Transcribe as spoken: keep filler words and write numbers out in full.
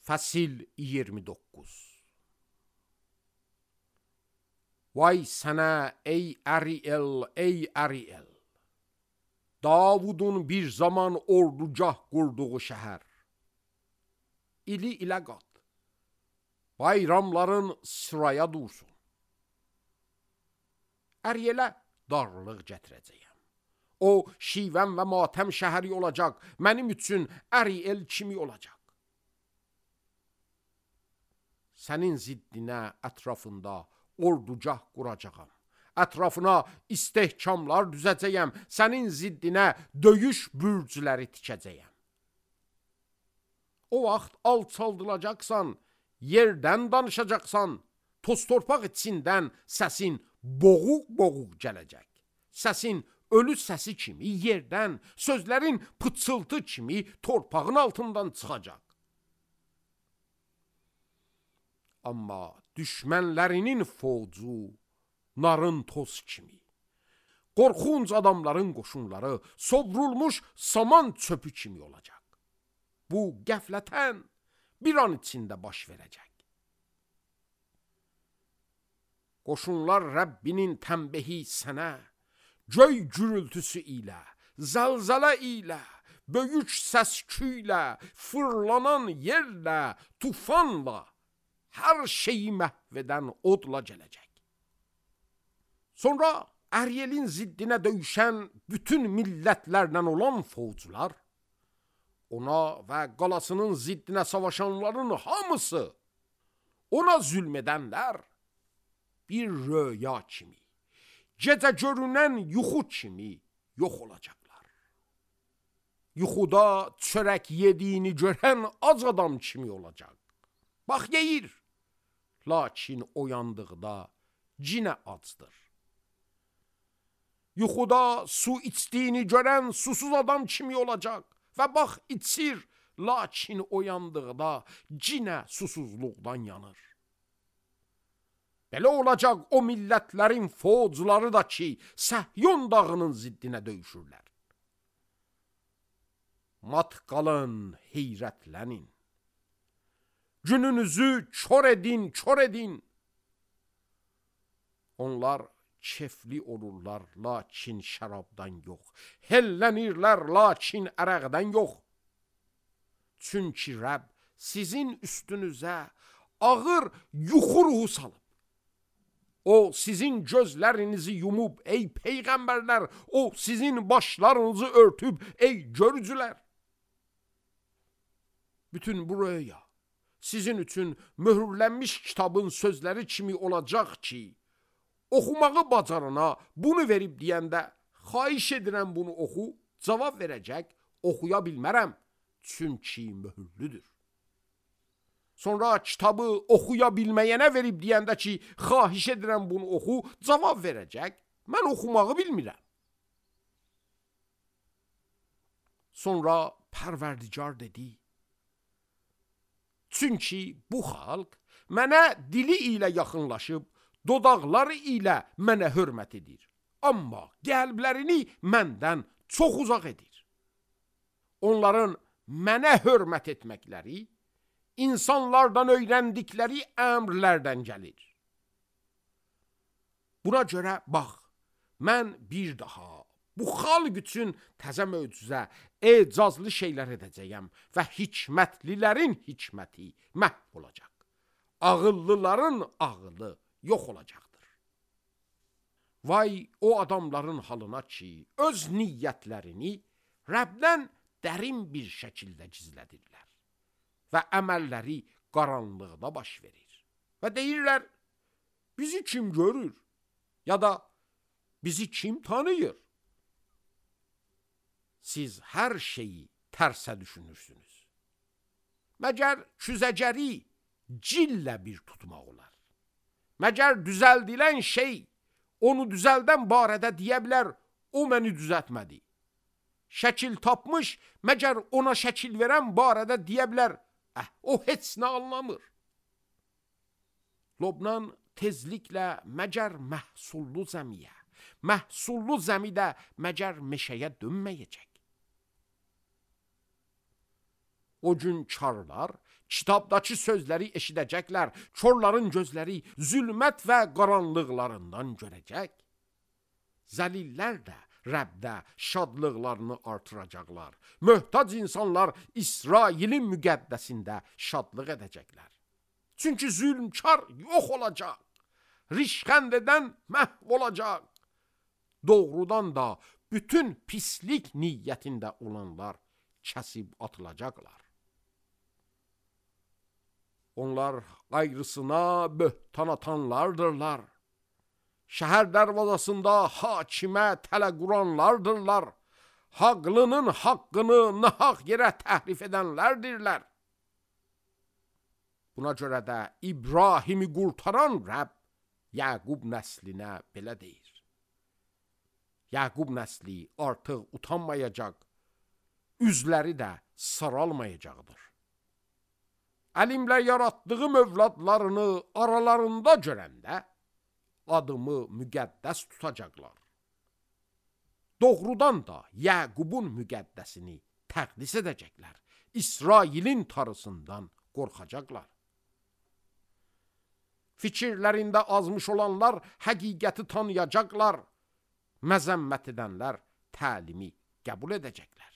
Fəsil iyirmi doqquz. Vay sənə ey Əriel, ey Əriel, Davudun bir zaman ordugah qurduğu şəhər. İli ilə qat, bayramların sıraya dursun. Ərielə darlıq gətirəcəyəm. O, şivən və matəm şəhəri olacaq, mənim üçün Əriel kimi olacaq. Sənin ziddinə ətrafında ordugah quracağam. Ətrafına istehkamlar düzəcəyəm. Sənin ziddinə döyüş bürcləri tikəcəyəm. O vaxt alçaldılacaqsan, yerdən danışacaqsan, toz torpaq içindən səsin boğuq-boğuq gələcək. Səsin ölü səsi kimi yerdən, sözlərin pıçıltı kimi torpağın altından çıxacaq. Amma düşmənlərinin fovcu narın toz kimi, qorxunc adamların qoşunları sovrulmuş saman çöpü kimi olacaq. Bu qəflətən bir an içində baş verəcək. Qoşunlar Rəbbinin tənbəhi sənə, göy gürültüsü ilə, zəlzələ ilə, böyük səsküylə, fırlanan yerlə, tufanla, hər şeyi məhv edən odla gələcək. Sonra Ərielin ziddinə döyüşən bütün millətlərlə olan fovcular, ona və qalasının ziddinə savaşanların hamısı, ona zülm edənlər, bir röya kimi, gecə görünən yuxu kimi yox olacaqlar. Yuxuda çörək yediyini görən ac adam kimi olacaq. Bax yeyir, lakin oyandıqda cinə acdır. Yuxuda su içdiyini görən susuz adam kimi olacaq və bax içir, lakin oyandıqda cinə susuzluqdan yanır. Belə olacaq o millətlərin fovcuları da ki, Səhyon dağının ziddinə döyüşürlər. Mat qalın, heyrətlənin. Gününüzü kör edin, kör edin. Onlar kefli olurlar, lakin şərabdan yox. Hellənirlər, lakin ərəqdən yox. Çünki Rəbb sizin üstünüzə ağır yuxu ruhu salıb. O sizin gözlərinizi yumub, ey peyğəmbərlər, o sizin başlarınızı örtüb, ey görücülər. Bütün bu röya sizin üçün möhürlənmiş kitabın sözləri kimi olacaq ki, oxumağı bacarana bunu verib deyəndə, xahiş edirəm bunu oxu, cavab verəcək, oxuya bilmərəm, çünki möhürlüdür. Sonra kitabı oxuya bilməyənə verib deyəndə ki, xahiş edirəm bunu oxu, cavab verəcək, mən oxumağı bilmirəm. Sonra Pərverdigar dedi, çünki bu xalq mənə dili ilə yaxınlaşıb, dodaqları ilə mənə hörmət edir. Amma qəlblərini məndən çox uzaq edir. Onların mənə hörmət etməkləri, insanlardan öyrəndikləri əmrlərdən gəlir. Buna görə bax, mən bir daha bu xalq üçün təzə möcüzə, ecazlı şeylər edəcəyəm və hikmətlilərin hikməti məhv olacaq. Ağıllıların ağılı yox olacaqdır. Vay o adamların halına ki, öz niyyətlərini Rəbdən dərin bir şəkildə gizlədirlər və əməlləri qaranlıqda baş verir. Və deyirlər, bizi kim görür? Ya da bizi kim tanıyır? Siz hər şeyi tərsə düşünürsünüz. Məgər küzəcəri cillə bir tutmaq olar. Məgər düzəldilən şey onu düzəldən barədə deyə bilər, o məni düzəltmədi. Şəkil tapmış, məgər ona şəkil verən barədə deyə bilər, əh, o heç nə anlamır. Lobnan tezliklə məgər məhsullu zəmiyə, məhsullu zəmidə məgər meşəyə dönməyəcək. O gün karlar kitabdakı sözləri eşidəcəklər, korların gözləri zülmət və qaranlıqlarından görəcək. Zəlillər də Rəbdə şadlıqlarını artıracaqlar. Möhtac insanlar İsrailin müqəddəsində şadlıq edəcəklər. Çünki zülmkar yox olacaq, rişxənd edən məhv olacaq. Doğrudan da bütün pislik niyyətində olanlar kəsib atılacaqlar. Onlar ayrısına böhtan atanlardırlar. Şəhər dərvazasında hakimə tələ quranlardırlar. Haqlının haqqını nahaq yerə təhrif edənlərdirlər. Buna görə də İbrahimi qurtaran Rəbb Yaqub nəslinə belə deyir. Yaqub nəsli artıq utanmayacaq, üzləri də saralmayacaqdır. Əlimlə yaratdığım övladlarını aralarında görəndə adımı müqəddəs tutacaqlar. Doğrudan da Yaqubun müqəddəsini təqdis edəcəklər. İsrailin tarısından qorxacaqlar. Fikirlərində azmış olanlar həqiqəti tanıyacaqlar. Məzəmmət edənlər təlimi qəbul edəcəklər.